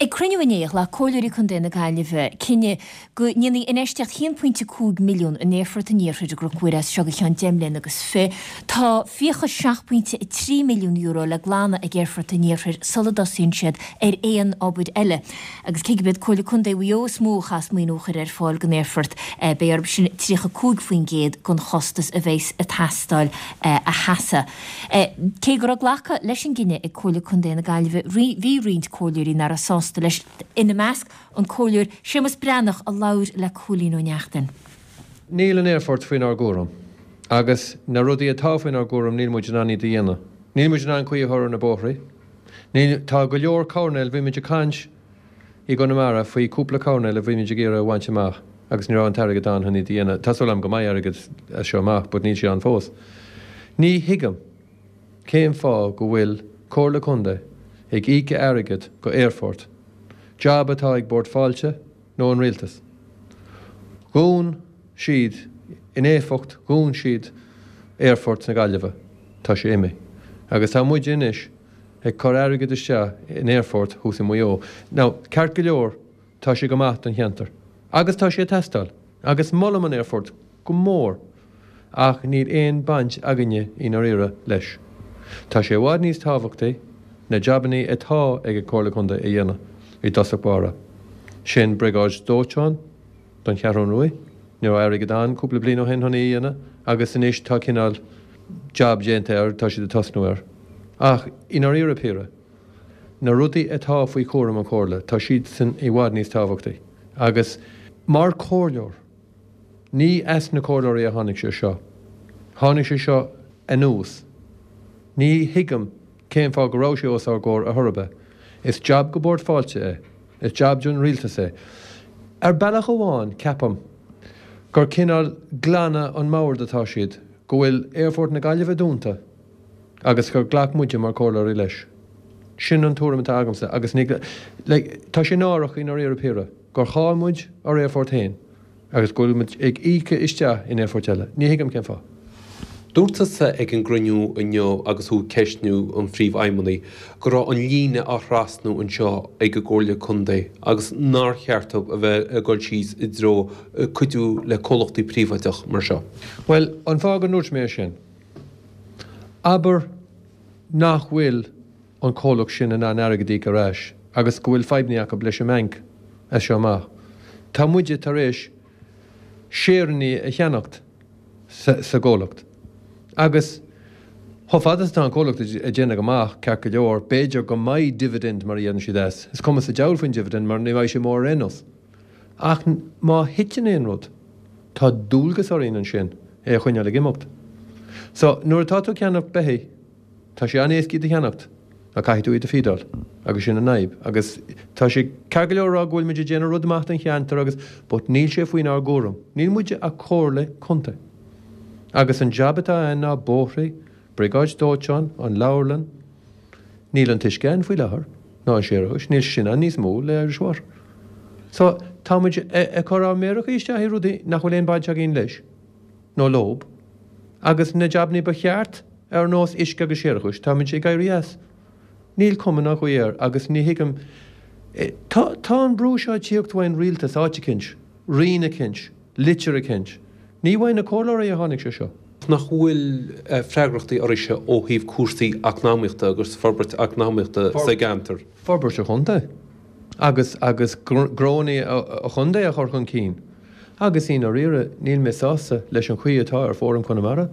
Ag cruinniú inné, ghlac Comhairleoirí Contae na Gaillimhe cinneadh go ndéanfaí infheistíocht 1.5 milliún in Aerfort an Iarthair i gCnoc Mhuire as seo go ceann 10 mbliana agus fi. Tá fiachas €7.3 milliún le glanadh ag Aerfort an Iarthair sula dtosaíonn siad ar aon obair eile. Agus cé gurb iad Comhairle Contae Mhaigh Eo is mó a chaithfeas maoiniú a chur ar fáil don aerfort, beidh orthu sin 35% den chostas a bheas ag teastáil a sheasamh. Cé go raibh glactha leis an gcinneadh ag Comhairle Contae na Gaillimhe, bhí roinnt comhairleoirí nach raibh sásta leis, ina measc an Comhairleoir Séamus Breathnach a labhair le Cóilín Ó Neachtain. Níl an aerfort faoinár gcúram agus na rudaí atá faoinár gcúram níl muid in ann iad a dhéanamh. Níl muid in ann caoi a chur ar na bóithrí. Níl, tá go leor coirnéil, bhí muid ag caint i gConamara faoi cúpla coirnéal a bhí muid ag iarraidh a bhaint amach agus ní raibh an t-airgead ann chun iad a dhéanamh. Tá súil agam go mbeidh airgead as seo amach but níl sé ann fós. Ní thuigim cén fáth go bhfuil Comhairle Contae ag íoc airgead go aerfort, job atá ag Bord Fáilte nó an Rialtas. Dhún siad, in éifeacht, dhún siad aerfort na Gaillimhe. Tá sé imithe. Agus tá muide anois ag cur airgead isteach in aerfort thuas i Maigh Eo. Now, ceart go leor, tá sé go maith don cheantar. Agus tá sé ag teastáil. Agus molaim an aerfort go mór. Ach níl aon baint againne i ndáiríre leis. Tá sé i bhfad níos tábhachtaí na jabannaí atá ag an Comhairle Contae a dhéanamh i dtosach báire. Sin briogáid dóiteáin don Cheathrún Ruaidh. Ní raibh airgead ann cúpla bliain ó shin chun í a dhéanamh agus anois tá cineál jab déanta air, tá siad ag tosnú air. Ach i ndáiríre píre, na rudaí atá faoi chúram an Chomhairle, tá siadsan i bhfad níos tábhachtaí. Agus mar chomhairleoir, Ní as na comhairleoirí a tháinig sé seo. Tháinig sé seo anuas. Ní thuigim cén fáth go raibh sé os ár gcomhair ar chor ar bith. Is jab go Bord Fáilte é. Is jab don rialtas é. Ar bealach amháin, ceapaim gur cineál glanadh an mbord atá siad, go bhfuil Aerfort na Gaillimhe dúnta agus gur ghlac muide mar chomhairleoirí leis. Sin an tuairim atá agamsa agus ní, like, tá sé náireach i ndáiríre píre. gur chaill muid ár aerfort féin agus go bhfuil muid ag íoc isteach in aerfoirt eile. Ní thuigim cén fáth. Dúirt tusa ag an gcruinniú inniu agus thú ag ceistniú an Phríomhfheidhmeannaigh go raibh an líne á thrasnú anseo ag an gComhairle Contae agus nár cheart dóibh a bheith ag dul síos i dtreo cuidiú le comhlachtaí príobháideach mar seo. Bhuel, an fáth go ndúirt mé é sin, abair nach bhfuil an comhlacht sin in ann airgead a íoc ar ais agus go bhfuil fadhbanna acu leis an mbanc as seo amach. Tá muide tar éis séireanna a cheannacht sa gcomhlacht agus chomh fada is atá an comhlacht ag déanamh go maith, ceart go leor, b'fhéidir go mbeidh dividend mar a deireann siad as. Is cuma sa diabhal faoin dividend mar ní bheidh sé mór ar aon nós. Ach má thiteann aon rud, tá dualgas orainn ansin é a choinneáil ag imeacht. So, nuair atá tú ag ceannacht beithígh, Tá sé an-éasca iad a cheannacht, ach caithfidh tú iad a feedáil, agus sin an fhadhb. Agus tá sé ceart go leor a rá go bhfuil muid ag déanamh rud maith don cheantar agus, but níl sé faoinár gcúram. Níl muide ach comhairle contae. Agus an jab atá ann ná bóithre, briogáid dóiteáin, an leabharlann. Níl an t-uisce ann faoi láthair, ná an séarachais, níl sé sin ann níos mó le Irish Water. So, tá muid ag cur ár méarachaí isteach i rudaí nach bhfuil aon baint againn leis. nó leob, agus na jabannaí ba cheart, ar nós uisce agus séarachais, táimid ag éirí as. Níl cuma ná caoi air agus ní thuigim. Tá tá an brú seo ag tíocht uaidh an rialtas áit eicint, roinn eicint, litir eicint. Ní uaidh na comhairleoirí a tháinig sé seo. Nach bhfuil freagrachtaí oraibhse ó thaobh cúrsaí eacnamaíochta agus forbairt eacnamaíochta sa gceantar? Forbairt an chontae agus agus gnónnaí an chontae a chur chun cinn. Agus i ndáiríre, níl mé sásta leis an chaoi atá ar Fóram Chonamara.